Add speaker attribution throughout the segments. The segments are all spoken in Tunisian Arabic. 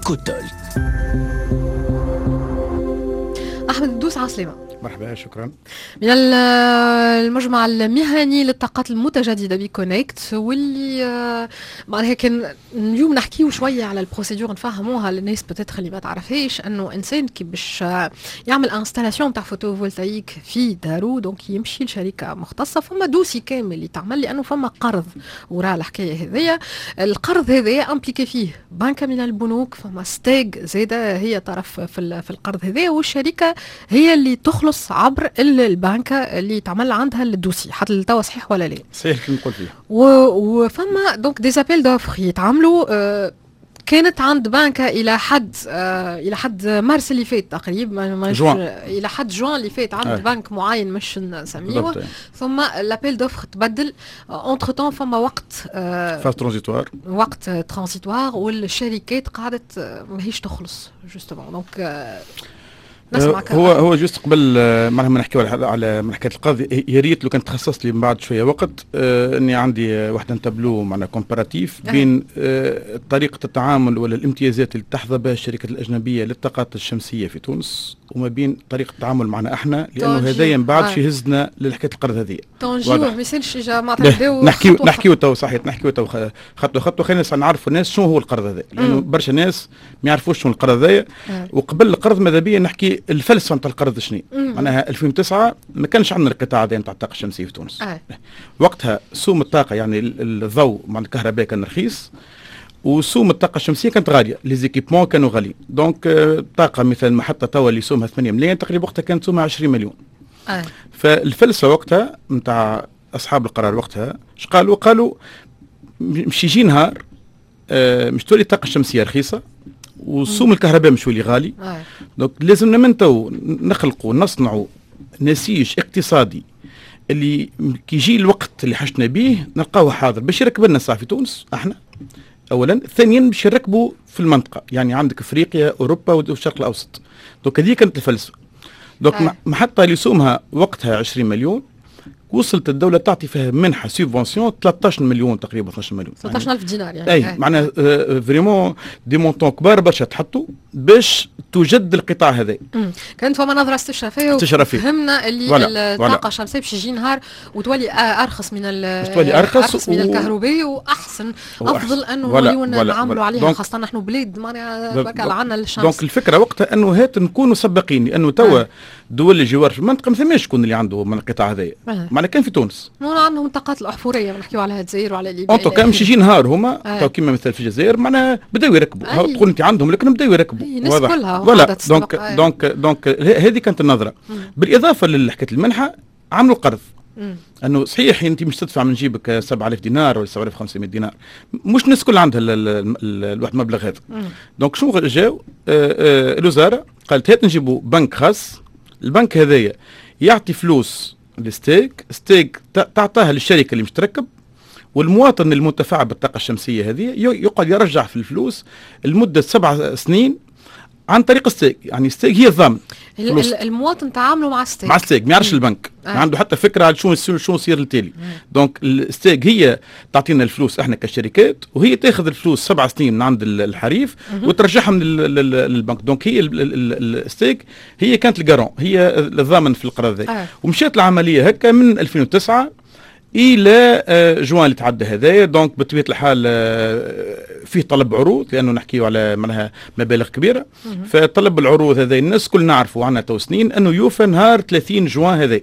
Speaker 1: Eco Talk.
Speaker 2: احمد الدوس، عسلامة.
Speaker 3: مرحبا، شكرا.
Speaker 2: من المجمع المهني للطاقات المتجددة بكونكت، واللي معناها كان اليوم نحكيو شوية على ال procédure، نفهموها للناس peut-être اللي ما تعرفهاش، انه انسان كي باش يعمل installation تاع photovoltaïque في دارو، donc يمشي لشركة مختصه، فما dossier كامل يتعمل لانه فما قرض وراء الحكاية هذيا. القرض هذايا impliqué فيه بنكه من البنوك، فما STEG زاده هي طرف في القرض هذايا، والشركة هي اللي تخلص عبر البنكة اللي تعمل عندها ال dossier. حتى لتوا صحيح ولا لا؟
Speaker 3: صحيح اللي نقول فيه.
Speaker 2: وفما donc des appels d'offres يتعملوا، كانت عند بنكة الى حد مارس اللي فات تقريبا.
Speaker 3: جوان.
Speaker 2: الى حد جوان اللي فات عند بنك معين مش نسميه. ثم l'appel d'offres تبدل entre-temps، فما وقت
Speaker 3: phase transitoire.
Speaker 2: وقت transitoire، والشركات قعدت ماهيش تخلص justement، donc
Speaker 3: نسمعك. هو juste قبل معناها ما نحكيو على حكاية القرض، يا ريت لو كان تخصص لي من بعد شوية وقت، اني عندي واحد تابلو معناها comparatif بين طريقه التعامل ولا الامتيازات اللي تحظى بها الشركات الاجنبية للطاقات الشمسية في تونس وما بين طريقه التعامل معنا احنا، لانه هذايا من بعد يهزنا لحكاية القرض هذه.
Speaker 2: تو نجيو، ما يسالش، معناتها.
Speaker 3: نحكيو تو، صحيح، نحكيو تو خطوة خطوه. خلينا نعرفوا الناس شنو هو القرض هذا، لانه برشا ناس ما يعرفوش شنو القرض هذا. وقبل القرض ماذا بيا نحكي الفلسفة نتاع القرض شنو. معناها 2009 ما كانش عندنا القطاع هذا نتاع الطاقة الشمسية في تونس. وقتها سوم الطاقه، يعني الضوء مع الكهرباء، كان رخيص وسوم الطاقة الشمسية كانت غاليه، les équipements كانوا غاليين. donc الطاقة مثلا محطة توا اللي سومها 8 ملايين تقريبا، وقتها كانت سومها 20 مليون. فالفلسفه وقتها نتاع اصحاب القرار وقتها اش قالوا؟ قالوا مش يجي نهار مش تولي الطاقة الشمسية رخيصة وسوم الكهرباء مش يولي غالي. Donc لازمنا من تو نخلقوا، نصنعوا نسيج اقتصادي اللي كي يجي الوقت اللي حاجتنا به نلقاوه حاضر باش يركب لنا الساعة في تونس احنا اولا، ثانيا باش يركبوا في المنطقه، يعني عندك افريقيا، اوروبا والشرق الاوسط. donc هذه كانت الفلسفه. donc محطة اللي سومها وقتها 20 مليون، وصلت الدولة تعطي فيها منحه subvention 13 مليون تقريبا، 12 مليون.
Speaker 2: 13000 دينار يعني.
Speaker 3: اي، معناها vraiment des montants كبار برشا تحطوا باش توجد القطاع هذا.
Speaker 2: كانت فما نظره استشرافيه.
Speaker 3: استشرافيه.
Speaker 2: فهمنا اللي الطاقة الشمسية باش يجي نهار وتولي ارخص من
Speaker 3: تولي ارخص،
Speaker 2: ارخص من الكهرباء واحسن، افضل انه نوليو نعملوا عليها، خاصة نحن بلاد معناها تبارك الله عندنا الشمس.
Speaker 3: donc الفكرة وقتها انه هات نكونوا سباقين، لانه توا دول الجوار في المنطقة ما ثماش شكون اللي عنده من القطاع هذايا، معناها كان في تونس.
Speaker 2: عندهم الطاقات الاحفوريه، نحكيو على الجزائر وعلى ليبيا.
Speaker 3: en tout cas مش يجي نهار هما تو كيما مثلا في الجزائر معناها بداو يركبوا، تقول انت عندهم لكن بداو يركبوا.
Speaker 2: الناس كلها.
Speaker 3: voilà، donc هذه كانت النظره. بالاضافة لحكاية المنحه، عملوا قرض، انه صحيح انت مش تدفع من جيبك 7000 دينار ولا 7500 دينار، مش الناس كل عندها الواحد المبلغ هذا. donc شنو جاو الوزارة قالت هات نجيبوا بنك خاص، البنك هذايا يعطي فلوس ل STEG، STEG تعطاها للشركة اللي مش تركب، والمواطن المنتفع بالطاقة الشمسية هذه يقعد يرجع في الفلوس لمدة 7 سنين عن طريق STEG، يعني STEG هي الضامن.
Speaker 2: المواطن تعاملوا مع STEG.
Speaker 3: مع STEG، ما يعرفش البنك، ما عنده حتى فكرة على شو يصير التالي. donc ال STEG هي تعطينا الفلوس احنا كشركات، وهي تاخذ الفلوس 7 سنين من عند الحريف وترجعهم للبنك. donc هي ال STEG هي كانت ال garant، هي الضامن في القرض هذا. ومشات العملية هكا من 2009 الى جوان اللي تعدى هذايا. donc بطبيعة الحال فيه طلب عروض، لانه نحكيو على معناها مبالغ كبيره، فطلب العروض هذا الناس كل نعرفوا عندنا تو سنين انه يوفى نهار 30 جوان هذا.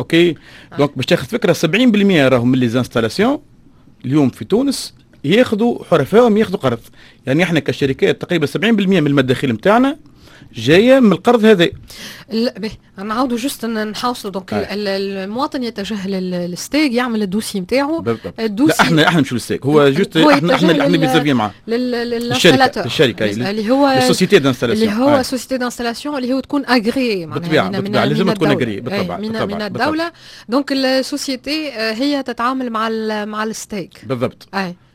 Speaker 3: OK، donc باش تاخذ فكره، 70% راهم من les installations اليوم في تونس ياخذوا حرفائهم ياخذوا قرض، يعني احنا كشركات تقريبا 70% من المداخيل نتاعنا جاية من القرض هذا.
Speaker 2: باهي، نعاودوا juste نحوصلوا، donc المواطن يتجه لل STEG، يعمل ال dossier نتاعو.
Speaker 3: ال dossier، لا، احنا نمشوا لل STEG، هو juste احنا vis-à-vis معاه.
Speaker 2: لل installateur.
Speaker 3: الشركه.
Speaker 2: اللي هو
Speaker 3: ال société d'installation.
Speaker 2: اللي هو société d'installation اللي هو تكون agréée.
Speaker 3: بالطبيعه، بالطبيعة لازم تكون agréée،
Speaker 2: بالطبع. من الدوله. donc ال société هي تتعامل مع ال STEG.
Speaker 3: بالضبط.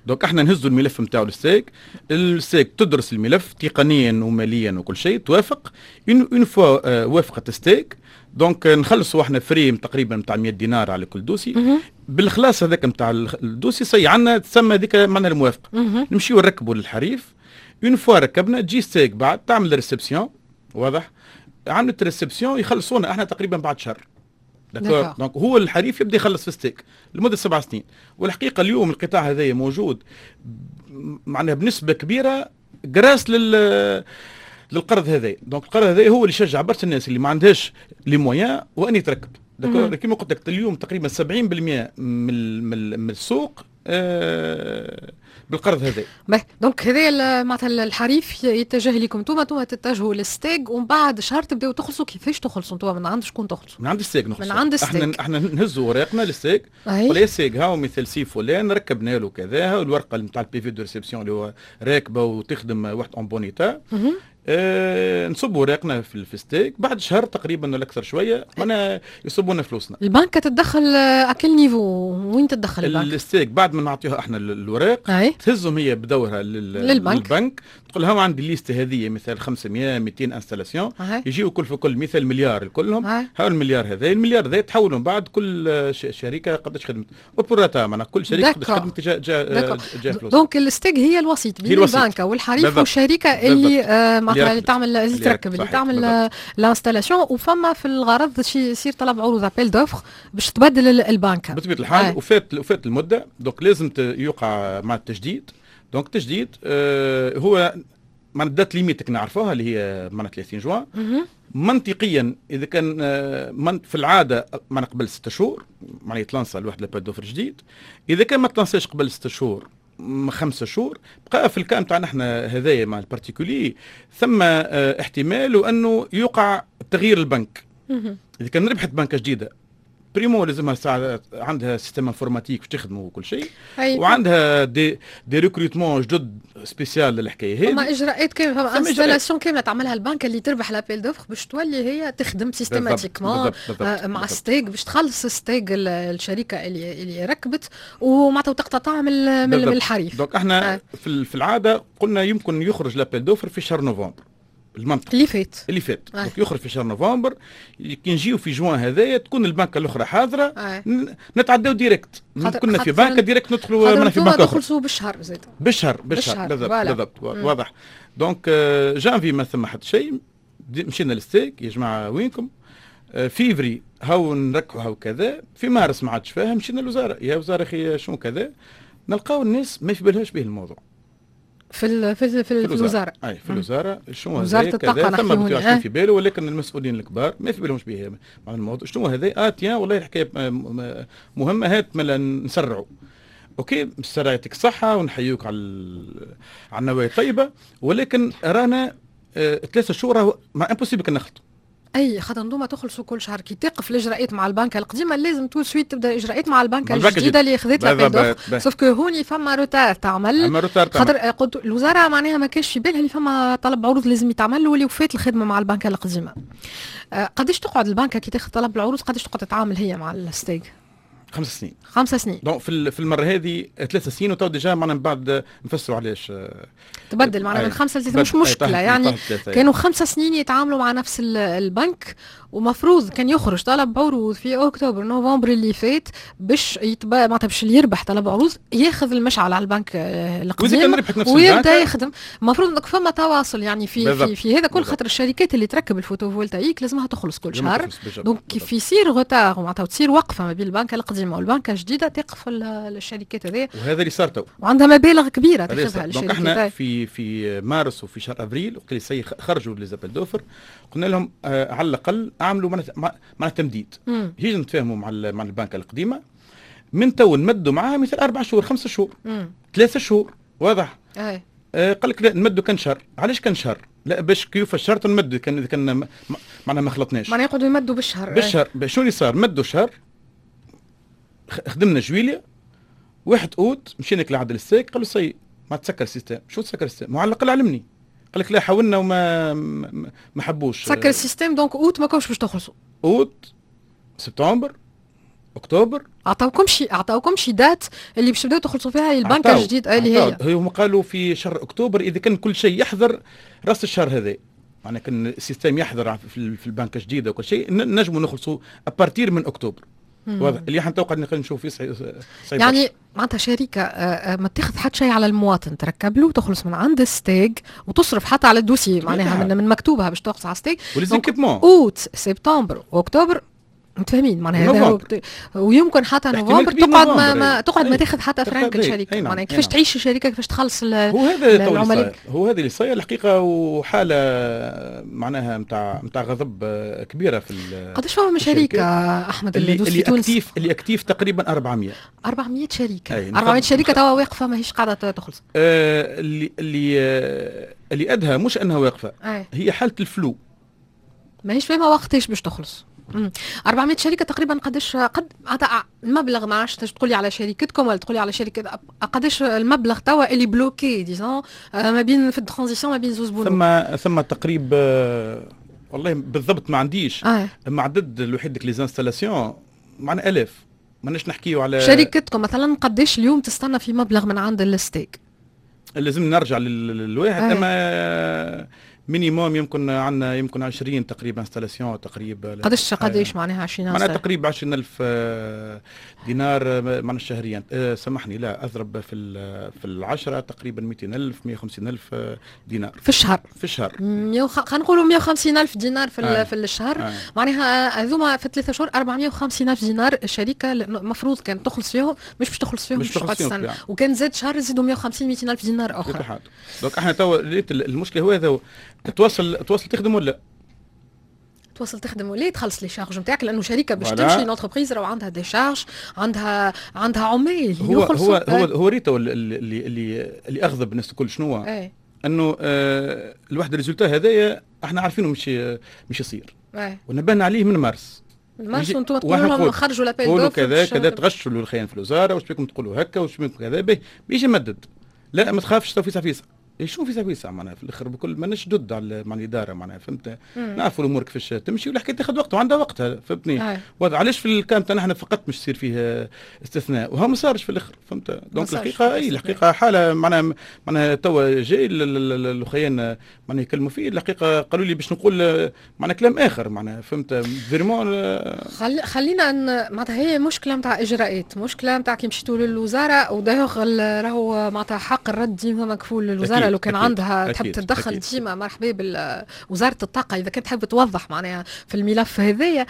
Speaker 3: donc احنا نهزوا الملف نتاعو لل STEG، ال STEG تدرس الملف تقنيا وماليا وكل شيء، توافق. une fois وافقت STEG، donc نخلصوا احنا frais تقريبا نتاع 100 دينار على كل dossier. بالخلاص هذاك نتاع ال dossier ça y est عندنا تسمى هذيك معنا الموافقه، نمشيو نركبوا للحريف. une fois ركبنا، تجي STEG بعد تعمل réception، واضح؟ عملت réception يخلصونا احنا تقريبا بعد شهر. d'accord، donc هو الحريف يبدا يخلص في STEG لمدة 7 سنين. والحقيقة اليوم القطاع هذا موجود معناها بنسبة كبيرة grâce للقرض هذا. donc القرض هذا هو اللي شجع برشا الناس اللي ما عندهاش les moyens وان يتركب. d'accord، كيما قلت لك اليوم تقريبا 70% من السوق بالقرض هذا.
Speaker 2: donc هذا معناتها الحريف يتجه لكم انتم، انتم تتجهوا لل STEG، ومن بعد شهر تبداو تخلصوا. كيفاش تخلصوا انتم؟ من عند شكون تخلصوا؟
Speaker 3: من عند ال STEG نخلصوا.
Speaker 2: من عند ال STEG.
Speaker 3: احنا نهزوا اوراقنا لل STEG، ولا ال STEG هاو مثل سي فلان ركبنا له كذا، الورقة نتاع ال PV de réception اللي هو راكبه وتخدم واحد en bon état. نصبوا اوراقنا في STEG، بعد شهر تقريبا ولا اكثر شوية معناها يصبوا لنا فلوسنا.
Speaker 2: البنك تتدخل à quel niveau؟ وين تتدخل البنك؟
Speaker 3: ال STEG بعد ما نعطيها احنا الوراق تهزهم هي بدورها
Speaker 2: للبنك،
Speaker 3: للبنك، تقول لهم عندي liste هذه مثال 500 200 installations، يجيو كل في كل مثال مليار كلهم. هاو المليار هذا، المليار هذا تحولوا من بعد كل شركة قداش خدمت au prorata، معناها كل شركة قداش خدمت جا فلوس.
Speaker 2: donc ال STEG هي الوسيط بين البنك والحريف والشركة اللي معناتها اللي تعمل، اللي تركب، اللي تعمل l'installation. وفما في الغرض يصير طلب عروض، appel d'offres، باش تبدل البنكه.
Speaker 3: بطبيعة الحال. وفات المده، donc لازم يوقع مع التجديد. donc التجديد هو مع date limite نعرفوها اللي هي معناها 30 جوان. منطقيا اذا كان من في العادة معناها قبل 6 شهور معناها يتلانسا الواحد l'appel d'offres جديد. اذا كان ما تلانساش قبل 6 شهور، 5 شهور بقى، في ال cas نتاعنا احنا هذايا مع ال particulier ثم احتمال وانه يقع تغيير البنك. اذا كان ربحت بنكه جديده، primo لازمها ساعة عندها système informatique باش تخدموا وكل شيء وعندها des recrutements جدد spécial للحكايه هذه.
Speaker 2: فما اجراءات كامله، فما installation كاملة تعملها البنك اللي تربح l'appel d'offres باش تولي هي تخدم systématiquement مع STEG، باش تخلص STEG الشركة اللي ركبت ومعناتها تقتطع من الحريف.
Speaker 3: donc احنا في العادة قلنا يمكن يخرج l'appel d'offres في شهر نوفمبر. المنطق
Speaker 2: اللي فات.
Speaker 3: اللي فات. Donc يخرج في شهر نوفمبر، كي نجيو في جوان هذايا تكون البنكه الاخرى حاضره. نتعداو direct، كنا في بنكه direct ندخلوا
Speaker 2: في بنكه اخرى. تخلصوا بالشهر زاد.
Speaker 3: بالشهر، بالشهر، بالضبط بالضبط. واضح. donc جانفي ما ثم حتى شيء، مشينا لل STEG، يا جماعة وينكم؟ فيفري هاو نركحوا هاو كذا. في مارس ما عادش فاهم، مشينا للوزاره، يا وزارة اخي شنو كذا؟ نلقاو الناس ما في بالهاش به الموضوع.
Speaker 2: في الوزاره.
Speaker 3: اي، في الوزاره. شنو
Speaker 2: هذا؟ وزارة الطاقه.
Speaker 3: ثم بطبيعة في باله، ولكن المسؤولين الكبار ما في بالهمش به مع الموضوع. شنو هذا؟ Tiens، والله الحكاية مهمه، هات ملا نسرعوا. OK، السرعة يعطيك الصحة ونحيوك على النوايا الطيبه، ولكن رانا 3 شهور ما impossible كان نخلطوا.
Speaker 2: اي، خاطر انتم تخلصوا كل شهر، كي تقف الاجراءات مع البنكه القديمة لازم tout de suite تبدا الاجراءات مع البنكه الجديدة اللي خذت l'appel d'offres، sauf que هوني فما retard تعمل.
Speaker 3: فما retard.
Speaker 2: خاطر قلت الوزارة معناها ما كانش في بالها اللي فما طلب عروض لازم يتعمل واللي وفات الخدمة مع البنكه القديمه. قداش تقعد البنكه كي تاخذ طلب العروض؟ قداش تقعد تتعامل هي مع ال STEG؟
Speaker 3: 5 سنين.
Speaker 2: 5 سنين.
Speaker 3: donc في المرة هذه 3 سنين، وتو déjà معنا من بعد نفسروا علاش.
Speaker 2: تبدل معنا من 5 ل3، مش مشكله. يعني كانوا 5 سنين يتعاملوا مع نفس البنك، ومفروض كان يخرج طلب عروض في اكتوبر نوفمبر اللي فات باش يتبع معناتها باش اللي يربح طلب عروض ياخذ المشعل على البنك القديم ويبدا يخدم. المفروض انك فما تواصل يعني في هذا كل، خاطر الشركات اللي تركب ال photovoltaïque لازمها تخلص كل شهر. donc كيف يصير retard معناتها تصير وقفه ما بين البنك القديمة والبنك الجديده، تقف الشركات هذه.
Speaker 3: وهذا اللي صار تو.
Speaker 2: وعندها مبالغ كبيرة تاخذها
Speaker 3: الشركات. donc احنا في مارس وفي شهر افريل وقت اللي خرجوا les appels d'offres قلنا لهم على الاقل اعملوا معناتها تمديد، هي نتفاهموا مع البنك القديمة من تو نمدوا معاها مثل 4 شهور، 5 شهور، 3 شهور، واضح؟ قال لك لا، نمدوا كان شهر. علاش كان شهر؟ لا، باش كيف الشهر نمدوا كان اذا كان معناها ما خلطناش.
Speaker 2: معناها يقعدوا يمدوا بالشهر.
Speaker 3: بالشهر. شنو اللي صار؟ مدوا شهر، خدمنا جويليا، 1 اوت مشينا لعند ال STEG، قالوا ça y est ما تسكر ال système. شو تسكر ال système؟ على الاقل علمني. قال لك لا، حاولنا وما ما حبوش.
Speaker 2: سكر ال système، donc اوت ما كنتش باش تخلصوا.
Speaker 3: اوت، سبتمبر، اكتوبر.
Speaker 2: عطاوكم شي date اللي باش تبداو تخلصوا فيها البنك الجديد اللي هي؟
Speaker 3: هم قالوا في شهر اكتوبر اذا كان كل شيء يحضر راس الشهر هذا، معناها كان ال système يحضر في البنك الجديدة وكل شيء نجموا نخلصوا à partir من اكتوبر. واضح اللي احنا تو قاعدين نشوف فيه صعيب
Speaker 2: يعني معناتها شركة ما تاخذ حتى شيء على المواطن، تركب له وتخلص من عند الستاغ وتصرف حتى على ال dossier معناها من مكتوبها باش تخلص على الستاغ
Speaker 3: و les équipements.
Speaker 2: اوت، سبتمبر، اكتوبر، متفاهمين معناها هذا، ويمكن حتى نوفمبر تقعد ما تقعد ما تاخذ حتى فرانك الشركه. معناها كيفاش تعيش الشركه، كيفاش تخلص؟
Speaker 3: هو هذا العملاء، هو هذا اللي صاير الحقيقه، وحاله معناها نتاع غضب كبيرة في
Speaker 2: قداش فما شركة احمد؟
Speaker 3: اللي actifs، اللي actifs تقريبا 400.
Speaker 2: 400 شركه، 400 شركة توا واقفة ماهيش قاعدة تخلص.
Speaker 3: اللي ادهى مش انها واقفه، هي حاله ال flou.
Speaker 2: ماهيش فاهمه وقتاش باش تخلص. 400 شركة تقريبا، قداش قد المبلغ؟ ما عرفتش تقولي على شركتكم ولا تقولي على شركه، قداش المبلغ توا اللي bloqué disons ما بين في ال transition ما بين زوز بنوك؟
Speaker 3: ثم تقريب والله بالضبط ما عنديش اما عدد الوحيد les installations معنا الاف، ماناش نحكيو على
Speaker 2: شركتكم مثلا قداش اليوم تستنى في مبلغ من عند الستاغ؟
Speaker 3: لازم نرجع للواحد اما minimum يمكن عندنا يمكن 20 تقريبا installations تقريبا.
Speaker 2: قداش معناها 20؟
Speaker 3: معناها تقريبا 20000 دينار معناها شهريا. سامحني، لا، اضرب في العشرة، تقريبا 200000، 150000 دينار.
Speaker 2: في الشهر؟
Speaker 3: في الشهر.
Speaker 2: خلينا نقولوا 150000 دينار في الشهر. معناها هذوما في 3 شهور 450000 دينار الشركة المفروض كان تخلص فيهم، مش باش تخلص فيهم.
Speaker 3: مش تخلص فيهم.
Speaker 2: وكان زاد شهر يزيدوا 150، 200000 دينار اخرى.
Speaker 3: donc احنا توا المشكلة هو هذا، تواصل تخدم ولا
Speaker 2: تواصل تخدم ولا تخلص les charges نتاعك، لانه شركة باش تمشي l'entreprise راهو عندها des charges، عندها عمال.
Speaker 3: هو ريتو اللي اغضب الناس الكل شنو؟ انه الواحد ال résultat هذايا احنا عارفينه مش يصير ونبهنا عليه من مارس.
Speaker 2: من مارس وانتم تقولوا لهم خرجوا
Speaker 3: l'appel d'offres، كذا كذا، تغشوا الخيان في الوزاره، واش بكم تقولوا هكا، واش بكم كذا، به بيجي مدد، لا ما تخافش تو فيسع فيسع. إيه، شنو فيسع فيسع؟ معناها في الاخر بكل ماناش ضد على مع الادارة معناها فهمت، نعرفوا الامور كيفاش تمشي والحكاية تاخذ وقت وعندها وقتها، فهمتني؟ علاش في ال cas تاعنا احنا فقط مش يصير فيه استثناء وها ما صارش في الاخر، فهمت؟ donc الحقيقة اي الحقيقة حاله معناها توا جاي الاخيان معناها يكلموا فيه، الحقيقة قالوا لي باش نقول معناها كلام اخر معناها فهمت vraiment.
Speaker 2: خلينا ان معناتها هي مشكلة نتاع اجراءات، مشكلة نتاع كي مشيتوا للوزاره، ودايوغ راهو معناتها حق الرد ديما مكفول للوزاره، لو كان عندها تحب تتدخل ديما مرحبا بوزارة الطاقة اذا كانت تحب توضح معناها في الملف هذايا.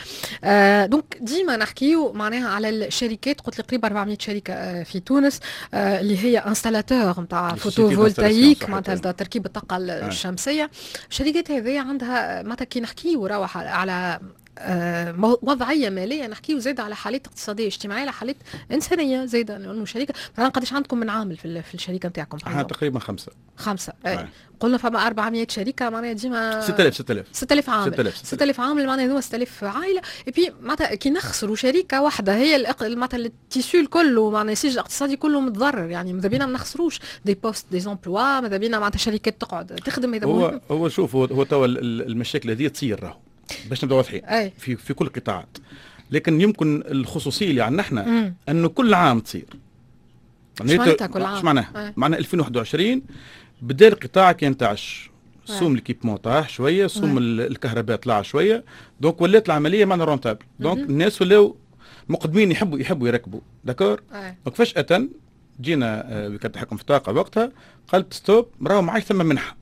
Speaker 2: Donc ديما نحكيو معناها على الشركات، قلت لي قريب 400 شركة في تونس اللي هي installateurs نتاع photovoltaïque، معناتها تركيب الطاقة الشمسيه. الشركات هذه عندها معناتها كي نحكيو على وضعية ماليه نحكيو زاد على حالات اقتصادية اجتماعيه، على حالات انسانيه زاد، لانه شركة مثلا قداش عندكم من عامل في الشركة نتاعكم؟
Speaker 3: احنا تقريبا خمسه.
Speaker 2: خمسه أي. قلنا فما 400 شركه، معناها ديما
Speaker 3: 6000، 6000.
Speaker 2: 6000 عامل، 6000، 6000 عامل، معناها هذوما 6000 عائله. et puis معناتها كي نخسروا شركة واحدة هي معناتها ال tissu الكل، معناها النسيج الاقتصادي كله متضرر. يعني ماذا بينا ما نخسروش des postes، des emplois، ماذا بينا معناتها شركات تقعد تخدم.
Speaker 3: هذا هو هو شوف، هو توا المشاكل هذه تصير راهو باش نبداو واضحين في كل القطاعات، لكن يمكن الخصوصية اللي عندنا احنا انه كل عام تصير.
Speaker 2: معناتها كل عام؟
Speaker 3: ايش معناها؟ معناها 2021 بدا القطاع كان تعش، سوم l'équipement طاح شويه، سوم الكهرباء طلع شويه، donc ولات العملية معنا rentable، donc الناس ولاو مقدمين يحبوا يركبوا، d'accord؟ donc فجاة جينا وكالة التحكم في الطاقة وقتها قالت stop، راهو ما عادش ثم منحه،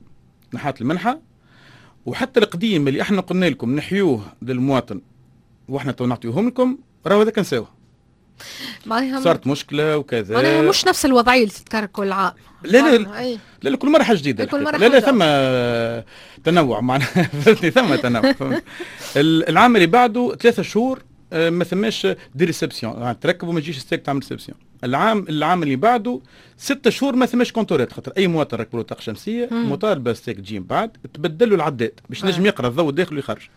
Speaker 3: نحات المنحه، وحتى القديم اللي احنا قلنا لكم نحيوه للمواطن واحنا تو نعطيوهم لكم، راهو هذاك نساوه. صارت مشكلة وكذا.
Speaker 2: معناها مش نفس الوضعية اللي تتكرر كل عام.
Speaker 3: لا لا لا لا، كل مرة حاجة جديده.
Speaker 2: كل مرة
Speaker 3: لا لا، ثم تنوع معناها فهمتني، ثم تنوع. العام اللي بعده 3 شهور ما ثماش des réceptions، يعني تركب وما تجيش ستاغ تعمل réception. العام اللي بعده 6 شهور ما ثماش compteur ات، خاطر اي مواطن ركب له طاقة شمسية مطالبه ستاغ تجي من بعد تبدل له العداد باش نجم يقرا الضوء داخل ويخرج.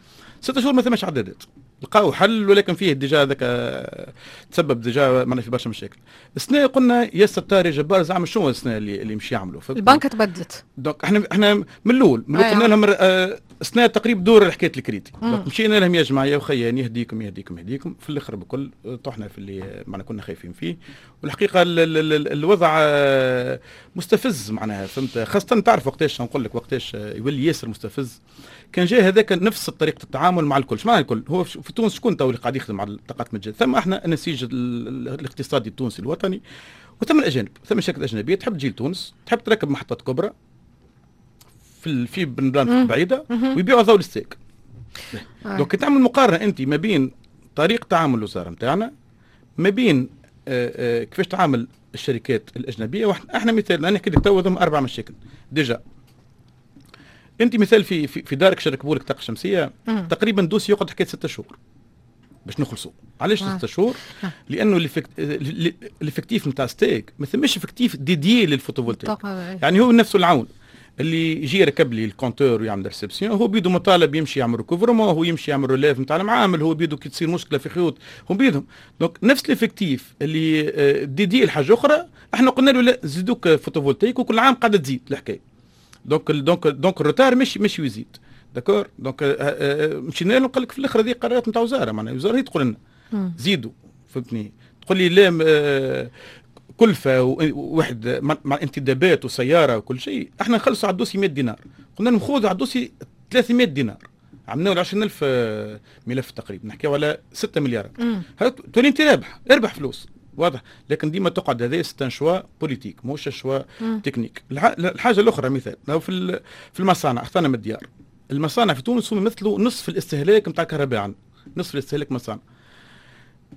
Speaker 3: 6 شهور ما ثماش عدادات، لقاو حل ولكن فيه déjà هذاك تسبب déjà معنا في برشا مشاكل. السنة قلنا يا ستار يا جبار، زعما شنو السنة اللي مش يعملوا؟
Speaker 2: البنك تبدلت.
Speaker 3: donc احنا من الاول قلنا لهم سنة تقريبا دور حكاية ال crédit. مشينا لهم يا جماعة يا وخيان يهديكم يهديكم يهديكم، في الاخر بكل طحنا في اللي معنا كنا خايفين فيه. والحقيقة الوضع مستفز معناها، فهمت؟ خاصة تعرف وقتاش نقول لك وقتاش يولي ياسر مستفز، كان جاي هذاك نفس طريقه التعامل مع الكل. مع الكل هو في تونس شكون تو اللي قاعد يخدم على الطاقات المتجددة؟ ثم احنا النسيج الاقتصادي التونسي الوطني، وثم الاجانب، ثم الشركات الاجنبية تحب تجي لتونس، تحب تركب محطات كبرى في بلدان بعيدة ويبيعوا ضوء لل STEG. donc تعمل مقارنة انت ما بين طريق تعامل الوزارة نتاعنا ما بين كيفاش تعامل الشركات الاجنبية. احنا مثال انا نحكي لك تو اربع مشاكل déjà. انت مثال في دارك شركبوا لك طاقة شمسية تقريبا dossier يقعد حكاية 6 شهور باش نخلصوا. علاش 6 شهور؟ لانه l'effectif نتاع STEG ما ثماش effectif dédié لل photovoltaïque، يعني هو نفسه العون اللي يجي يركب لي ال compteur ويعمل réception هو بيدو مطالب يمشي يعمل recouvrement، هو يمشي يعمل relève نتاع المعامل، هو بيدو كي تصير مشكلة في خيوط هم بيدهم. donc نفس l'effectif اللي dédié لحاجة اخرى احنا قلنا له لا زيدوك photovoltaïque، وكل عام قاعدة تزيد الحكاية. donc ال retard مش يزيد، d'accord؟ donc مشينا له قال لك في الاخر هذه قرارات نتاع وزاره، معناها الوزارة هي تقول لنا زيدوا، فهمتني؟ تقول لي لا كلفه واحد مع انتدابات وسيارة وكل شيء، احنا نخلصوا على ال dossier 100 دينار. قلنا لهم خذوا على ال dossier 300 دينار. عملنا له 20000 ملف تقريبا، نحكيو على 6 مليارات، تولي انت رابح، اربح فلوس، واضح؟ لكن ديما تقعد هذا c'est un choix politique مش choix technique. الحاجة الاخرى مثال لو في المصانع، اخطانا من الديار، المصانع في تونس هم يمثلوا نصف الاستهلاك نتاع الكهرباء عندنا، نصف الاستهلاك مصانع.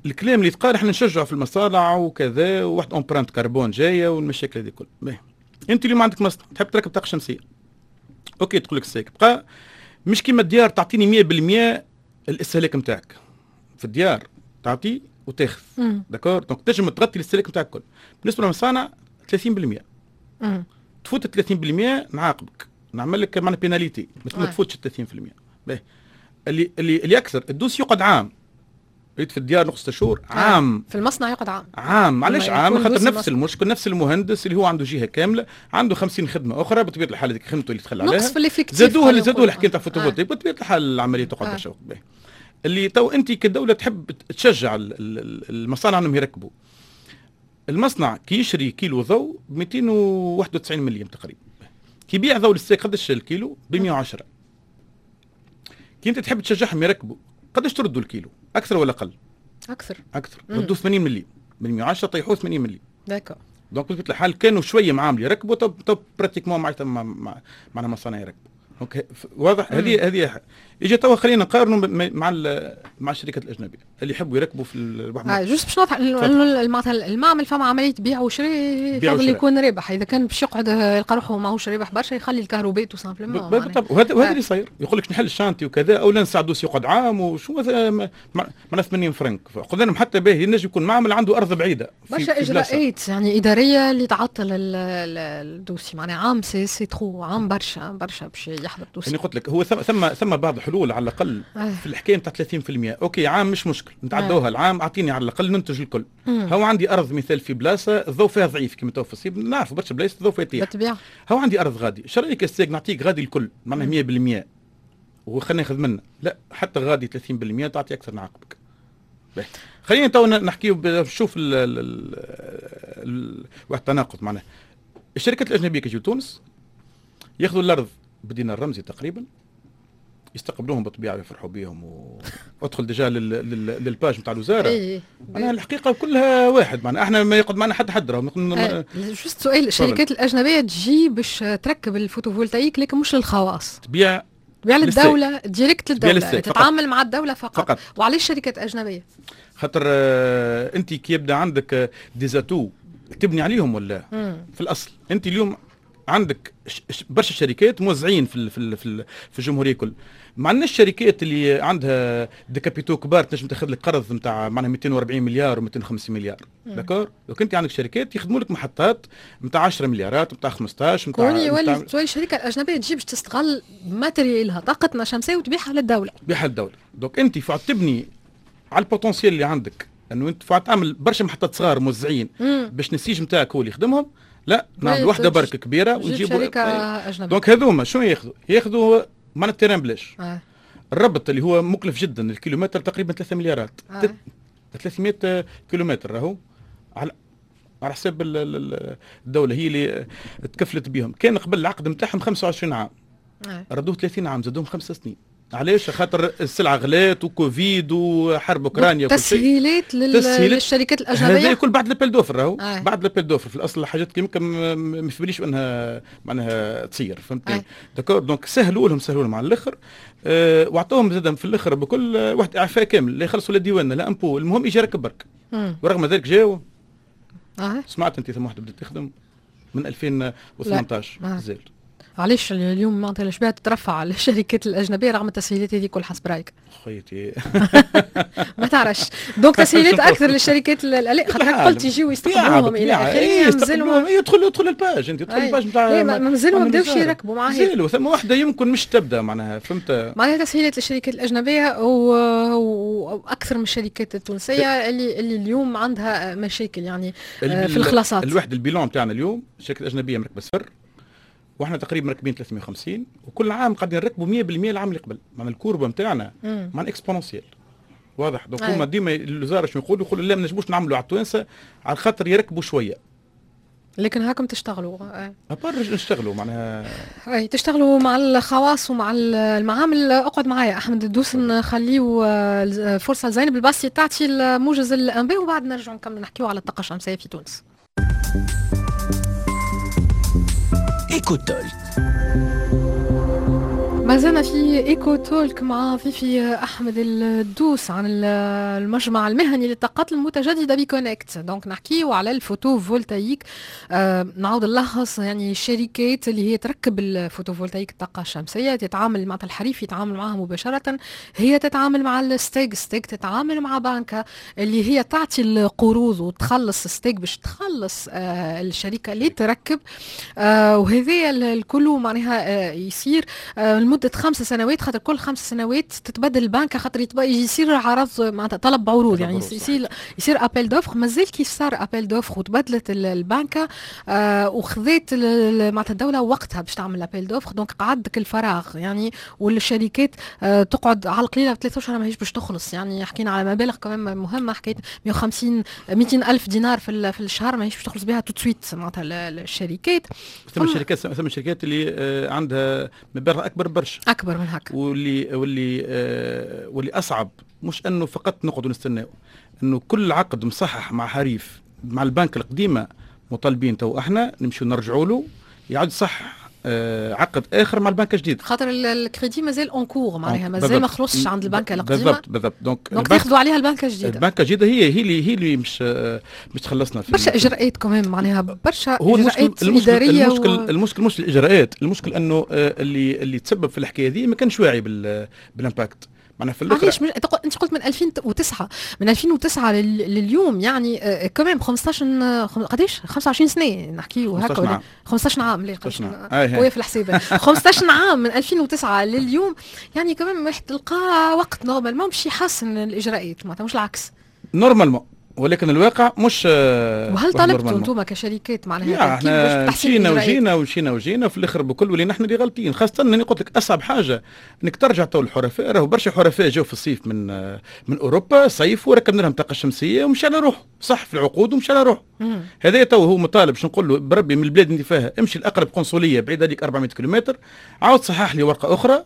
Speaker 3: الكلام اللي يتقال احنا نشجعوا في المصانع وكذا وواحد empreinte carbone جاية والمشاكل هذه الكل. انت اليوم عندك مصنع تحب تركب طاقة شمسيه، OK، تقول لك STEG بقى مش كيما الديار تعطيني 100% الاستهلاك نتاعك. في الديار تعطي وتاخذ، d'accord؟ donc تنجم تغطي الاستهلاك نتاعك الكل. بالنسبة للمصانع 30%، تفوت 30% نعاقبك، نعمل لك معنا pénalité، ما تفوتش 30%. باهي، اللي اكثر ال dossier يقعد عام. ريت في الديار نقص 6 شهور، عام.
Speaker 2: في المصنع يقعد عام.
Speaker 3: عام، علاش عام؟ خاطر نفس المشكل، نفس المهندس اللي هو عنده جهة كاملة عنده 50 خدمة اخرى، بطبيعة الحال هذيك خدمته اللي تخلى عليها.
Speaker 2: نقص في l'effectif.
Speaker 3: زادوها الحكاية تاع photovoltaïque، بطبيعة الحال العملية تقعد برشا وقت. اللي تو انت كدولة تحب تشجع المصانع انهم يركبوا، المصنع كي يشري كيلو ضوء ب 291 مليم تقريبا، كي يبيع ضوء لل STEG قداش الكيلو؟ ب 110. كي انت تحب تشجعهم يركبوا قداش تردوا الكيلو؟ اكثر ولا اقل؟
Speaker 2: اكثر.
Speaker 3: اكثر، ردوا 80 مليم، من 110 طيحوه 80 مليم.
Speaker 2: d'accord.
Speaker 3: donc بطبيعة الحال كانوا شوية معامل يركبوا، تو pratiquement معناتها معنا مصانع يركبوا. donc واضح هذه اجا توا خلينا نقارنوا مع الشركات الاجنبية اللي يحبوا يركبوا في
Speaker 2: البحر. Juste باش نوضح معناتها المعمل فما عملية بيع وشراء، يفضل يكون رابح. اذا كان باش يقعد يلقى روحه ماهوش رابح برشا يخلي الكهرباء tout simplement.
Speaker 3: بالضبط، وهذا اللي صاير، يقول لك نحل ال chantier وكذا او لا نساعدو يقعد عام وشو مثلا معنا 80 فرنك. قلنا لهم حتى باهي ينجم يكون معمل عنده ارض بعيده.
Speaker 2: برشا اجراءات يعني ادارية اللي تعطل ال dossier، معناها عام c'est trop، عام برشا برشا باش يحضر dossier.
Speaker 3: يعني قلت لك هو ثم بعض الحلول على الاقل في الحكاية نتاع 30%. OK، عام مش مشكل نتعدوها العام، اعطيني على الاقل ننتج الكل. هو عندي ارض مثال في بلاصة الضوء فيها ضعيف كما تو في الصيف نعرفوا برشا بلايص الضوء فيها يطيح.
Speaker 2: بالطبيعه.
Speaker 3: هو عندي ارض غادي، شو رايك STEG نعطيك غادي الكل معناها 100% وخلينا ناخذ منه؟ لا، حتى غادي 30% تعطي اكثر نعاقبك. خلينا تو نحكيو نشوف واحد التناقض، معناها الشركات الاجنبية كي يجيو تونس ياخذوا الارض بدينار رمزي تقريبا، يستقبلوهم بالطبيعة ويفرحوا بهم، وادخل déjà لل page نتاع الوزاره. معناها الحقيقة كلها واحد، معناها احنا ما يقعد معنا حد حد راهو.
Speaker 2: Juste سؤال، الشركات الاجنبية تجي باش تركب ال photovoltaïque لكن مش للخواص؟
Speaker 3: تبيع.
Speaker 2: تبيع للدوله، direct للدوله، تتعامل مع الدولة فقط،
Speaker 3: فقط.
Speaker 2: وعلاش شركات اجنبية؟
Speaker 3: خاطر انت كي يبدا عندك des atouts تبني عليهم ولا؟ في الاصل انت اليوم عندك برشا شركات موزعين في الجمهورية كل. ما عندناش شركات اللي عندها des capitaux كبار تنجم تاخذ لك قرض نتاع معناها 240 مليار و250 مليار، d'accord؟ donc انت عندك شركات يخدموا لك محطات نتاع 10 مليارات، نتاع 15.
Speaker 2: نتاع يولي تولي الشركة الاجنبية تجي باش تستغل matériel ها، طاقتنا الشمسيه، وتبيعها للدوله.
Speaker 3: تبيعها للدوله. donc انت فعد تبني على ال potentiel اللي عندك انه انت فعد تعمل برشا محطات صغار موزعين باش النسيج نتاعك هو اللي يخدمهم. لا، نعمل واحدة برك كبيرة
Speaker 2: ونجيبوا شركة اجنبيه.
Speaker 3: donc هذوما شنو ياخذوا؟ ياخذوا معناها ال terrain بلاش. الربط اللي هو مكلف جدا، الكيلومتر تقريبا 3 مليارات. 300 كيلومتر راهو على حساب الدولة هي اللي تكفلت بهم. كان قبل العقد نتاعهم 25 عام، ردوه 30 عام، زادوهم 5 سنين. علاش؟ خاطر السلعة غلات وكوفيد وحرب اوكرانيا.
Speaker 2: تسهيلات للشركات الاجنبية
Speaker 3: هذا الكل بعد l'appel d'offres راهو. بعد l'appel d'offres في الاصل حاجات كيما ما في باليش انها معناها تصير، فهمتني؟ d'accord. donc سهلوا لهم على الاخر، واعطوهم زاد في الاخر بكل واحد اعفاء كامل، لا يخلصوا لا ديوان لا impôt، المهم يجي يركب برك. ورغم ذلك جاوا. سمعت انت ثم واحدة بدات تخدم من 2018 زال.
Speaker 2: علاش اليوم معناتها الاشباه تترفع على الشركات الاجنبية رغم التسهيلات هذه كل حسب رايك؟
Speaker 3: خيتي
Speaker 2: ما تعرفش. donc تسهيلات اكثر للشركات، خاطر قلت يجيو يستقبلوهم الى اخره،
Speaker 3: مازالوا يدخل ال page، انت تدخل ال page
Speaker 2: نتاع مازالوا ما بداوش يركبوا معاها،
Speaker 3: مازالوا ثم واحدة يمكن مش تبدا معناها، فهمت؟
Speaker 2: معناها تسهيلات للشركات الاجنبية واكثر من الشركات التونسية اللي اليوم عندها مشاكل يعني في الخلاصات.
Speaker 3: الواحد ال bilan تاعنا اليوم الشركات الاجنبية مركبة صفر، واحنا تقريبا مركبين 350، وكل عام قاعدين نركبوا 100% العام اللي قبل. معناها ال courbe نتاعنا معناها exponentielle، واضح. donc هما ديما الوزارة شنو يقولوا؟ يقولوا لا ما نجموش نعملوا على التوانسة على خاطر يركبوا شوية،
Speaker 2: لكن هاكم تشتغلوا
Speaker 3: à part نشتغلوا معناها
Speaker 2: اي تشتغلوا مع الخواص ومع المعامل. اقعد معايا احمد الدوس، نخليو فرصة لزينب الباسي تعطي الموجز الانباء وبعد نرجعوا نكملوا نحكيو على الطاقة الشمسية في تونس.
Speaker 1: Eco Talk.
Speaker 2: ما زلنا في Eco Talk مع ضيفي احمد الدوس عن المجمع المهني للطاقات المتجددة ب CONECT. donc نحكيو على ال photovoltaïque. نعاود نلخص، يعني الشركات اللي هي تركب ال photovoltaïque الطاقة الشمسية تتعامل مع الحريف، يتعامل معها مباشرة، هي تتعامل مع الستاغ، ستاغ تتعامل مع بنكه اللي هي تعطي القروض وتخلص ستاغ باش تخلص الشركة اللي تركب. وهذا الكل معناها يصير لمدة 5 سنوات، خاطر كل 5 سنوات تتبدل البنك، خاطر يصير عرض معناتها طلب عروض، يعني يصير appel d'offres. مازال كيف صار appel d'offres وتبدلت البنكه وخذت معناتها الدولة وقتها باش تعمل appel d'offres، donc قعد الفراغ يعني، والشركات تقعد على القليلة 3 اشهر ماهيش باش تخلص. يعني حكينا على مبالغ كمان مهمة، حكاية 150 200 الف دينار في الشهر ماهيش باش تخلص بها tout de suite معناتها الشركات.
Speaker 3: ثم الشركات اللي عندها مبالغ اكبر برشا،
Speaker 2: اكبر من هكا،
Speaker 3: واللي واللي واللي اصعب مش انه فقط نقعدوا نستناو، انه كل عقد مصحح مع حريف مع البنك القديمة مطالبين تو احنا نمشيو نرجعوا له يعود صح عقد اخر مع البنك الجديد،
Speaker 2: خاطر الكريدي مازال en cours معناها مازال ما خلصش عند البنك القديمة.
Speaker 3: بالضبط.
Speaker 2: donc تاخذوا عليها البنك الجديدة.
Speaker 3: البنك الجديدة هي اللي مش تخلصنا في
Speaker 2: برشا اجراءات كمان معناها برشا اجراءات ادارية.
Speaker 3: المشكل مش الاجراءات، المشكل انه اللي تسبب في الحكاية دي ما كانش واعي بال impact معناها في الاخر.
Speaker 2: علاش انت قلت من 2009، من 2009 لليوم يعني كمان 15 قداش 25 سنة نحكيو هكا، 15 عام لا قوية في الحسابه 15 عام من 2009 لليوم، يعني كمان واحد تلقى وقت normalement باش يحسن الاجراءات معناتها مش العكس
Speaker 3: normalement، ولكن الواقع مش.
Speaker 2: وهل طلبتوا انتم كشركات معناها
Speaker 3: احنا مشينا وجينا ومشينا وجينا في الاخر بكل ولينا احنا اللي غالطين، خاصة اني قلت لك اصعب حاجة انك ترجع تو الحرفاء. راهو برشا حرفاء جاوا في الصيف من اوروبا صيف وركبنا لهم طاقة شمسية ومشى على روحه، صح في العقود ومشى على روحه. هذا تو هو مطالب باش نقول له بربي من البلاد اللي فيها امشي لاقرب قنصليه بعيد عليك 400 كيلومتر، عاود صحح لي ورقة اخرى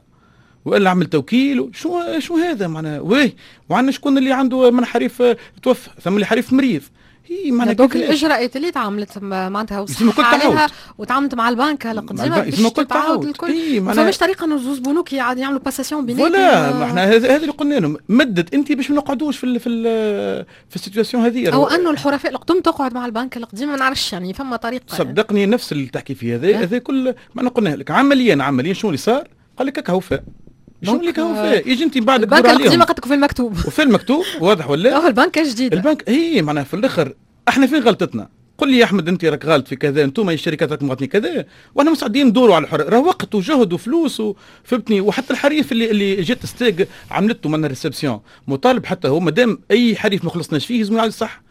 Speaker 3: والا عمل توكيل. شو هذا معناها؟ ويه وعندنا شكون اللي عنده من حريف توفى، ثم اللي حريف مريض. هي معناها
Speaker 2: donc الاجراءات اللي تعاملت معناتها وصح عليها وتعاملت مع البنك القديمة باش تعاود الكل. ما فماش طريقه انه زوز بنوك يعملوا passation بيناتهم
Speaker 3: ولا ما احنا هذا اللي قلنا لهم، مدد انت باش ما نقعدوش في ال في ال في ال situation هذه،
Speaker 2: او انه الحرفاء القدم تقعد مع البنك القديم، ما نعرفش يعني فما طريقه.
Speaker 3: صدقني نفس اللي تحكي فيه هذا كل ما قلنا لك عمليا شنو اللي صار؟ قال لك هكا وفاء. شنو اللي كان فيه؟ يجي انت بعد
Speaker 2: البنك القديمة قد في المكتوب
Speaker 3: وفي المكتوب واضح ولا؟
Speaker 2: البنك الجديدة
Speaker 3: البنك هي معناها في الاخر احنا فين غلطتنا؟ قل لي يا احمد انت راك غلط في كذا، انتم الشركات راكم غلطين كذا، واحنا مستعدين ندوروا على الحر، راه وقت وجهد وفلوس فهمتني. وحتى الحريف اللي جات ستاغ عملته من réception مطالب حتى هو، مادام اي حريف ما خلصناش فيه لازم يعاود صح.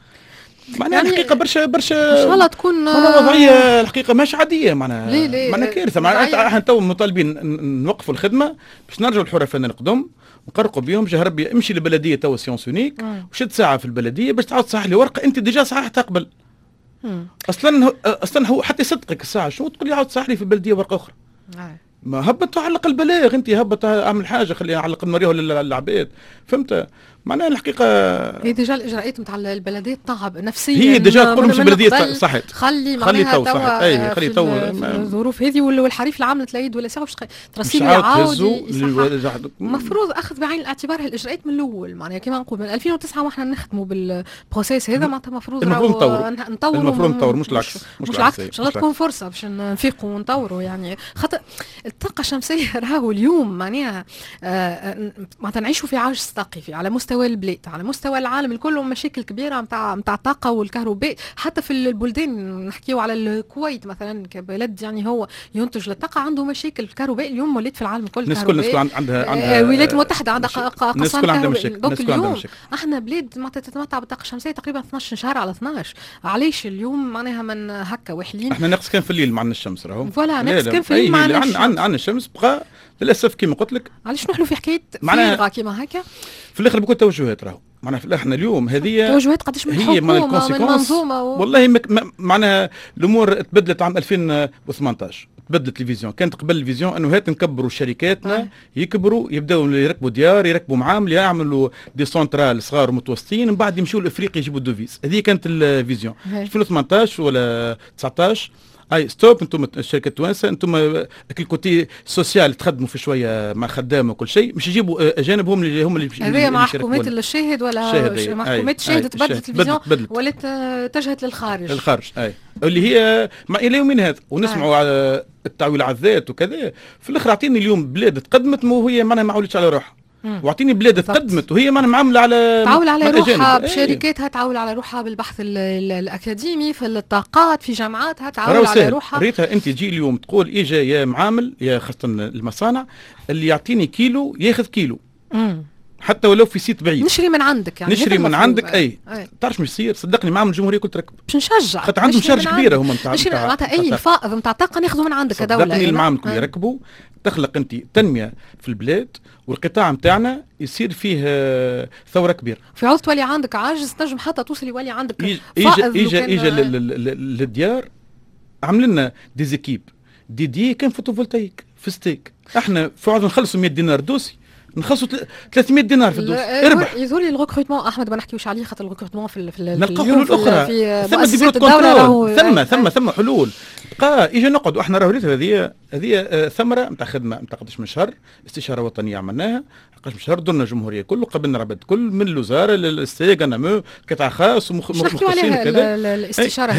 Speaker 3: معناها يعني الحقيقة برشا برشا
Speaker 2: ان شاء الله تكون
Speaker 3: وضعية الحقيقة مش عادية، معناها معناها كارثة. معناها احنا تو مطالبين نوقفوا الخدمة باش نرجعوا الحرفاء القدم نقرقوا بيهم. جه ربي امشي للبلديه تو séance unique وشد ساعة في البلدية باش تعاود تصحح لي ورقة انت déjà صححتها قبل. اصلا هو حتى يصدقك الساعة شنو تقول لي عاود تصحح لي في البلدية ورقة اخرى. ما هبط علق البلاغ انت، هبط اعمل حاجة خليها علق نوريها للعباد، فهمت؟ معناها الحقيقة
Speaker 2: هي déjà الاجراءات نتاع البلدية تعب نفسيا،
Speaker 3: هي déjà تقول مش البلدية صحت،
Speaker 2: خلي معناها تو صحت، اي خلي تو الظروف هذه والحريف العام العيد ولا ساعة باش ترسيل يعاود. المفروض اخذ بعين الاعتبار هالاجراءات من الاول، معناها كما نقول من 2009 واحنا نخدموا بال processus هذا، معناتها المفروض
Speaker 3: نطوروا، المفروض نطوروا مش العكس،
Speaker 2: مش العكس. ان شاء الله تكون فرصة باش نفيقوا ونطوروا، يعني خاطر الطاقة الشمسية راهو اليوم معناها معناتها نعيشوا في عجز طاقي على مستوى البلاد، على مستوى العالم الكل، مشاكل كبيرة نتاع الطاقة والكهرباء، حتى في البلدان نحكيو على الكويت مثلا كبلد يعني هو ينتج للطاقة عنده مشاكل الكهرباء اليوم ولات في العالم الكل.
Speaker 3: الناس الكل عندها
Speaker 2: الولايات المتحدة عندها قصان كهرباء. donc اليوم احنا بلاد معناتها تتمتع بالطاقة الشمسية تقريبا 12 شهر على 12، علاش اليوم معناها من هكا وحلين؟
Speaker 3: احنا ناقص كان في الليل معنا الشمس راهو،
Speaker 2: voilà ناقص كان في الليل معنا الشمس،
Speaker 3: عندنا الشمس بقى للاسف كيما قلت لك.
Speaker 2: علاش نحلو في حكاية فارغة كيما هكا؟
Speaker 3: في الاخر بكل توجهات راهو، معناها احنا اليوم هذه
Speaker 2: توجهات قداش من حكومة من منظومة
Speaker 3: والله معناها الامور تبدلت عام 2018، تبدلت ال vision. كانت قبل ال vision انه هات نكبروا شركاتنا يكبروا يبداوا يركبوا ديار، يركبوا معامل، يعملوا des centrales صغار ومتوسطين، من بعد يمشوا لافريقيا يجيبوا ال devises. هذه كانت ال vision 2018 ولا 19. اي stop، انتم الشركة التوانسة انتم ال côté social تخدموا في شوية مع خدامه وكل شيء، مش يجيبوا اجانب هم اللي هم اللي
Speaker 2: هذايا مع حكومات الشاهد ولا مع حكومات الشاهد تبدلت ال vision ولات اتجهت للخارج،
Speaker 3: الخارج اي اللي هي مع الى يومين هذا ونسمعوا على التعويل على الذات وكذا. في الاخر اعطيني اليوم بلاد تقدمت وهي معناها ما عولتش على روحها، واعطيني بلاد تقدمت وهي معناها معاملة على
Speaker 2: تعول على روحها بشركاتها، تعول على روحها بالبحث الاكاديمي في الطاقات في جامعاتها، تعول على روحها.
Speaker 3: ريتها انت تجي اليوم تقول اجا يا معامل يا خاصة المصانع اللي يعطيني كيلو ياخذ كيلو حتى ولو في site بعيد،
Speaker 2: نشري من عندك، يعني
Speaker 3: نشري من عندك. اي تعرف مش يصير صدقني معامل الجمهورية كل تركب
Speaker 2: باش نشجع،
Speaker 3: خاطر عندهم charge كبيرة هما
Speaker 2: نتاع معناتها اي فائض نتاع طاقة ناخذه من عندك كدولة.
Speaker 3: صدقني المعامل كل يركبوا تخلق انت تنمية في البلاد والقطاع نتاعنا يصير فيه ثورة كبيرة.
Speaker 2: في عوض تولي عندك عاجز تنجم حتى توصل يولي عندك
Speaker 3: فائض. اجا للديار عمل لنا des équipes dédiées كان photovoltaïque في STEG. احنا في عوض نخلصوا 100 دينار dossier نخلصوا 300 دينار في ال dossier. اربح.
Speaker 2: يظهر لي ال recrutement احمد ما نحكيوش عليه خاطر ال recrutement في
Speaker 3: نلقى حلول اخرى، ثم des bureaux contrôle، ثم حلول. بقى اجا نقعد احنا راهو هذه ثمره نتاع خدمة نتاع قداش من شهر، استشاره وطنية عملناها قداش من شهر، درنا الجمهورية كله، قبلنا العباد كل من الوزارة لل STEG ANAME قطاع خاص
Speaker 2: ومختصين وكذا. الاستشارة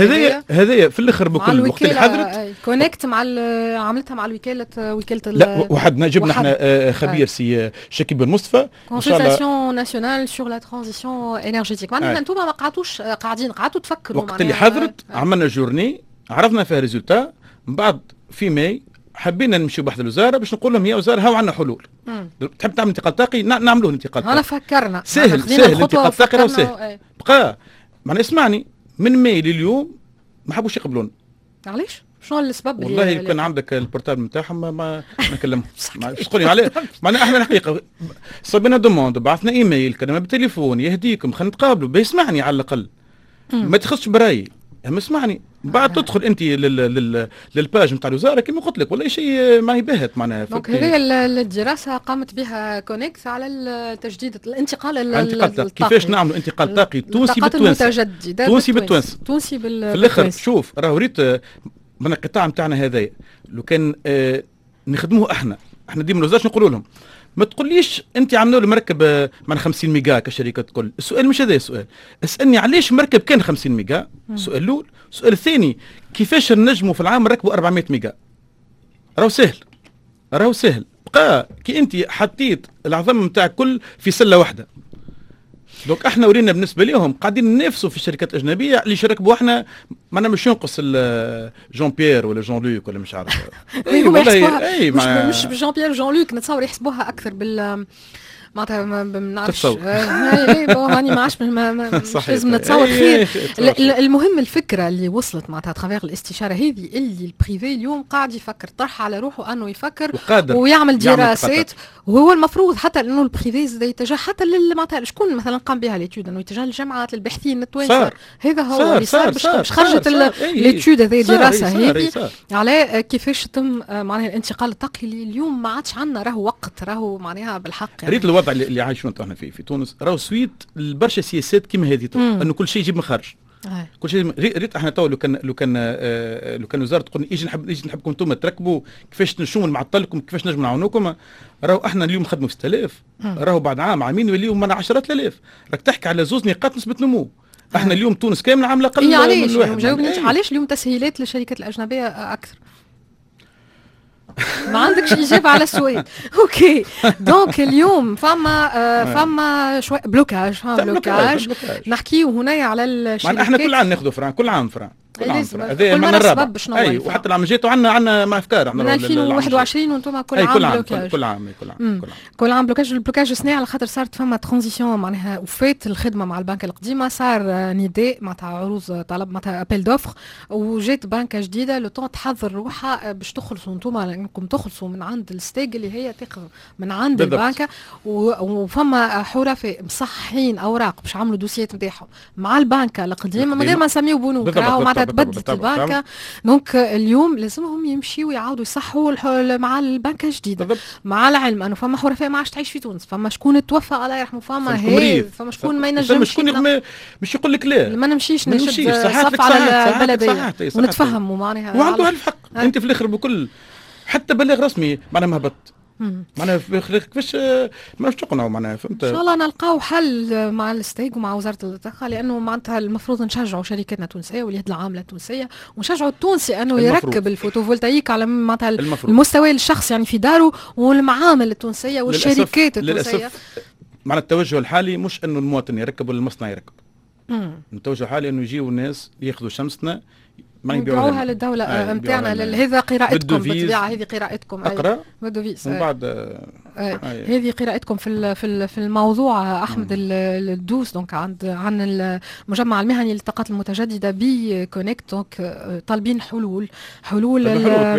Speaker 3: هذه في الاخر بكل وقت اللي حضرت
Speaker 2: CONECT مع عملتها مع الوكالة وكالة
Speaker 3: لا وحدنا جبنا احنا خبير سي شكيب بن مصطفى
Speaker 2: consultation nationale sur la transition énergétique. معناها انتم ما قعدتوش قاعدين، قعدتوا تفكروا.
Speaker 3: وقت اللي حضرت عملنا journée عرفنا فيها résultats. من بعد في ماي حبينا نمشيو بحث الوزارة باش نقول لهم يا وزارة هاو عندنا حلول. تحب تعمل انتقال طاقي نعملوه انتقال طاقي.
Speaker 2: انا فكرنا
Speaker 3: سهل سهل الانتقال الطاقي راهو سهل. بقى معناها اسمعني من ماي لليوم ما حبوش يقبلونا.
Speaker 2: علاش؟ شنو السبب؟
Speaker 3: والله كان عندك ال portable نتاعهم ما نكلمهم تقولي عليه. معناها احنا الحقيقة صبينا demande، بعثنا ايميل، كلمة بالتليفون، يهديكم خلينا نتقابلوا، بيسمعني على الاقل. ما تخصش برايي، اما اسمعني. بعد تدخل انت لل page نتاع الوزارة كما قلت لك والله شيء ما يبهت معناها.
Speaker 2: donc هذه الدراسة قامت بها CONECT على التجديد الانتقال
Speaker 3: الطاقي، كيفاش نعملوا انتقال طاقي تونسي بالتوانسه، تونسي بالتوانسه،
Speaker 2: تونسي
Speaker 3: في الاخر. شوف راهو ريت من القطاع نتاعنا هذايا لو كان نخدموه احنا ديما الوزارة نقولوا لهم ما تقوليش انت عملوا له مركب من 50 ميجا كشركة كل. السؤال مش هذا السؤال، اسالني علاش مركب كان 50 ميجا؟ السؤال الاول. السؤال الثاني كيفاش نجموا في العام نركبوا 400 ميجا؟ راهو سهل، راهو سهل. بقى كي انت حطيت العظم نتاعك كل في سله واحدة. donc احنا ورينا بالنسبة لهم قاعدين ننافسوا في الشركات الاجنبية اللي شركبوا احنا، معناها مش ينقص جون بيير ولا جون لوك ولا مش عارف.
Speaker 2: اي والله اي مش جون بيير وجون لوك نتصور يحسبوها اكثر بال معناتها ما نعرفش هاني ما عادش لازم نتصور خير. المهم الفكرة اللي وصلت معناتها à travers الاستشارة هذه اللي ال privé اليوم قاعد يفكر، طرح على روحه انه يفكر ويعمل دراسات، وهو المفروض حتى انه ال privé زاد يتجه حتى معناتها شكون مثلا قام بها l'étude، انه يتجه للجامعات للباحثين التوانسة. هذا هو اللي صار باش خرجت l'étude هذه، الدراسة هذه على كيفاش تم معناها الانتقال الطاقي اللي اليوم ما عادش عندنا راهو وقت، راهو معناها بالحق
Speaker 3: يعني. ريت الوضع اللي عايشونه احنا في تونس راهو suite لبرشا سياسات كيما هذه، انه كل شيء يجيب من خارج. كل شيء ريت احنا تو لو كان وزارة تقول ايجي نحبكم انتم تركبوا، كيفاش نشوفوا نعطلكم، كيفاش نجم نعاونوكم، راهو احنا اليوم نخدموا في 6000، راهو بعد عام عامين يوليو من 10,000. راك تحكي على زوز نقاط نسبه نمو. احنا اليوم تونس كاملة عامله اقل
Speaker 2: من واحد. جاوبني علاش اليوم تسهيلات للشركات الاجنبية اكثر؟ ما عندكش اجابه على السؤال. OK، donc اليوم فما شوي blocage، فما blocage. نحكيو هنا على الشركات.
Speaker 3: احنا كل عام ناخذوا frein، كل عام frein، كل عام هذا من الرابع. اي، وحتى العام الجاي عندنا افكار.
Speaker 2: من 2021 وانتم كل عام
Speaker 3: كل عام blocage، كل عام، كل عام،
Speaker 2: كل عام، كل عام blocage. ال blocage سنة على خاطر صارت فما transition، معناها وفات الخدمة مع البنك القديمه، صار نداء معناتها عروض طلب معناتها appel d'offres، وجات بنكه جديده، le temps تحضر روحها باش تخلصوا انتم، انكم تخلصوا من عند الستاغ اللي هي تاخذ من عند البنكه، وفما حرفاء مصححين اوراق باش عملوا دوسيات نتاعهم مع البنكه القديمة من غير ما نسميو بنوك، راهو معناتها تبدلت البنكه. donc اليوم لازمهم يمشيوا يعاودوا يصحوا مع البنكه الجديده، مع العلم انه فما حرفاء ما عادش تعيش في تونس، فما شكون توفى الله يرحمه، فما هي فما شكون ما ينجمش،
Speaker 3: شكون مش يقول لك لا
Speaker 2: ما نمشيش نشد صف على البلدية ونتفهموا معناها،
Speaker 3: وعنده الف حق. انت في الاخر بكل حتى بلاغ رسمي معناها ما هبط، معناها كيفاش ما تقنعوا معناها، فهمت؟
Speaker 2: ان شاء الله نلقاو حل مع الستاغ ومع وزارة الطاقه، لانه معناتها المفروض نشجعوا شركاتنا التونسية واليد العاملة التونسيه، ونشجعوا التونسي انه يركب ال photovoltaïque على معناتها المستوى الشخصي يعني في داره، والمعامل التونسية والشركات التونسيه.
Speaker 3: للاسف معنى التوجه الحالي مش انه المواطن يركب ولا المصنع يركب. التوجه الحالي انه يجيو الناس ياخذوا شمسنا
Speaker 2: ما يبيعوها للدولة نتاعنا. هذا قراءتكم بالطبيعة، هذه قراءتكم.
Speaker 3: اقرا
Speaker 2: بال devise
Speaker 3: ومن بعد.
Speaker 2: هذه قراءتكم في الموضوع. احمد الدوس donc عن المجمع المهني للطاقات المتجددة ب Connect، donc طالبين حلول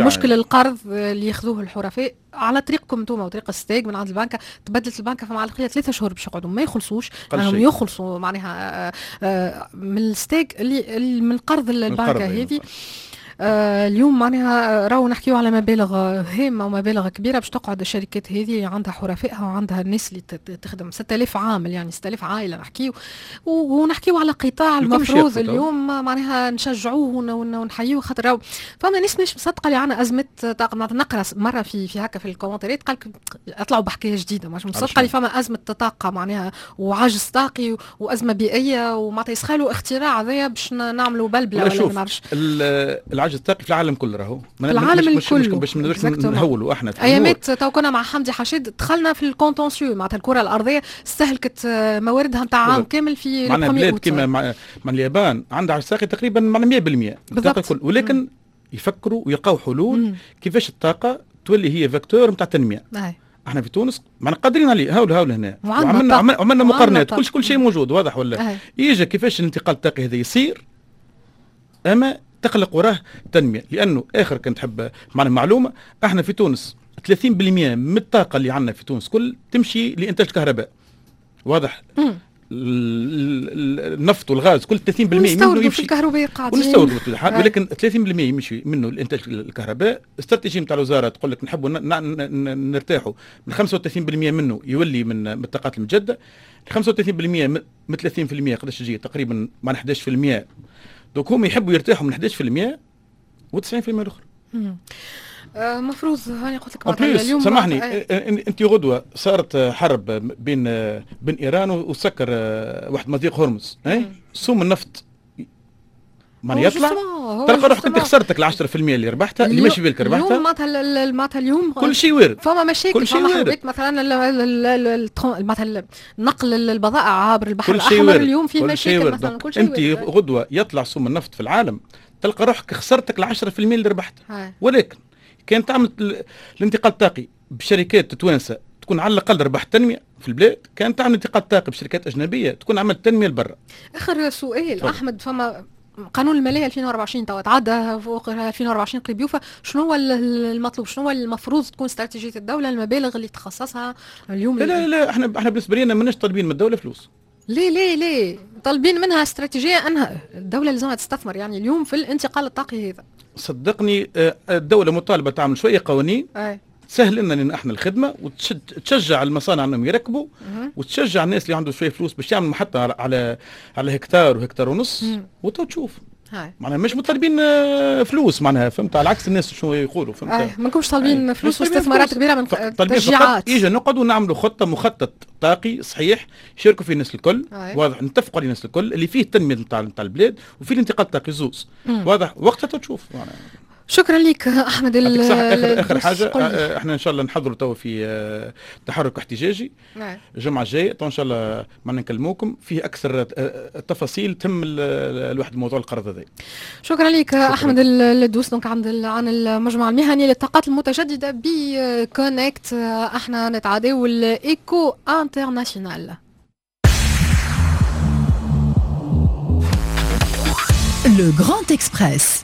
Speaker 2: مشكل القرض اللي ياخذوه الحرفاء على طريقكم انتم وطريق الستاغ من عند البنكه. تبدلت البنكه، فما على 3 شهور باش يقعدوا ما يخلصوش، لانهم يخلصوا معناها من الستاغ اللي من قرض البنكه هذه. اليوم معناها راهو نحكيو على مبالغ هامة ومبالغ كبيرة باش تقعد الشركات هذه عندها حرفائها وعندها الناس اللي تخدم، 6000 عامل، يعني 6000 عائلة نحكيو، ونحكيو على قطاع المفروض اليوم معناها نشجعوه ونحيوه، خاطر راهو فما ناس مش مصدقه اللي عندنا ازمة طاقه. نقرا مرة في هكا في الكومنتات قال اطلعوا بحكاية جديده، مش مصدقه اللي فما ازمة طاقة معناها وعجز طاقي وازمة بيئيه، ومعناتها يسخالوا اختراع هذايا باش نعملوا بلبلة ولا ما نعرفش.
Speaker 3: العجز الطاقي في العالم كله راهو.
Speaker 2: في العالم
Speaker 3: مش
Speaker 2: الكل.
Speaker 3: باش ما نهولوا احنا.
Speaker 2: ايامات تو كنا مع حمدي حشيد دخلنا في ال contentieux، معناتها الكره الارضية استهلكت مواردها نتاع عام كامل في
Speaker 3: معنا بلاد كما مع اليابان عندها عجز طاقي تقريبا معنا 100% الطاقة الكل، ولكن يفكروا ويلقاو حلول كيفاش الطاقة تولي هي vecteur نتاع التنميه. احنا في تونس معنا قادرين عليه، هاول هاول هنا وعملنا مقارنات، كل شيء موجود واضح ولا يجي كيفاش الانتقال الطاقي هذا يصير، اما تخلق وراه تنميه، لانه اخر كنت تحب معنا معلومه، احنا في تونس 30% من الطاقة اللي عندنا في تونس كل تمشي لانتاج الكهرباء، واضح؟ النفط والغاز كل 30%
Speaker 2: منه يمشي في الكهرباء
Speaker 3: قاعدين ونستوردوا، ولكن 30% يمشي منه لانتاج الكهرباء. استراتيجية نتاع الوزارة تقول لك نحبوا نرتاحوا من 35% منه يولي من الطاقات المتجدده. 35% من 30% قداش تجي؟ تقريبا مع 11%. donc هم يحبوا يرتاحوا من 11% و90% الاخرى.
Speaker 2: مفروض هاني قلت لك.
Speaker 3: اليوم سامحني، انت غدوه صارت حرب بين ايران وسكر واحد مضيق هرمز، سوم النفط معناها يطلع، تلقى روحك انت خسرتك ال 10% اللي ربحتها، اللي ماشي بالك ربحتها.
Speaker 2: اليوم معناتها اليوم
Speaker 3: كل شيء وارد.
Speaker 2: فما مشاكل، كل شيء وارد، مثلا مثلا نقل البضائع عبر البحر الاحمر اليوم فيه مشاكل مثلا.
Speaker 3: كل شيء انت غدوه يطلع سوم النفط في العالم، تلقى روحك خسرتك ال 10% اللي ربحتها، ولكن كان تعمل الانتقال الطاقي بشركات توانسة تكون على الاقل ربحت تنمية في البلاد، كان تعمل انتقال طاقي بشركات اجنبية تكون عملت تنمية لبرا.
Speaker 2: اخر سؤال فضل. احمد، فما قانون المالية 2024 توا تعدى فوق 2024 قريب يوفى، شنو هو المطلوب؟ شنو هو المفروض تكون استراتيجية الدولة، المبالغ اللي تخصصها اليوم؟
Speaker 3: لا لا لا، احنا بالنسبة لنا ماناش طالبين من الدولة فلوس.
Speaker 2: ليه ليه ليه؟ طالبين منها استراتيجية انها الدولة لازمها تستثمر يعني اليوم في الانتقال الطاقي هذا.
Speaker 3: صدقني الدولة مطالبه تعمل شوية قوانين تسهل لنا احنا الخدمة وتشجع المصانع انهم يركبوا، وتشجع الناس اللي عنده شوية فلوس باش يعمل محطة على هكتار وهكتار ونص، وتو تشوف. معناها مش مطالبين فلوس، معناها فهمت، على عكس الناس شنو يقولوا، فهمت؟
Speaker 2: ما نكونش طالبين فلوس واستثمارات كبيرة من تشجيعات.
Speaker 3: اجا نقعدوا نعملوا خطه، مخطط طاقي صحيح يشاركوا فيه الناس الكل، واضح، نتفقوا عليه الناس الكل، اللي فيه التنمية نتاع البلاد وفيه الانتقال الطاقي زوز، واضح، وقتها تشوف.
Speaker 2: شكرا لك احمد.
Speaker 3: صح، اخر حاجة، احنا ان شاء الله نحضروا تو في تحرك احتجاجي الجمعة الجاية، ان شاء الله ما نكلموكم فيه اكثر التفاصيل تم الواحد موضوع القرض هذا.
Speaker 2: شكرا لك احمد الدوس، donc عن المجمع المهني للطاقات المتجددة ب CONECT. احنا نتعداو ال éco international.
Speaker 1: Le Grand Express.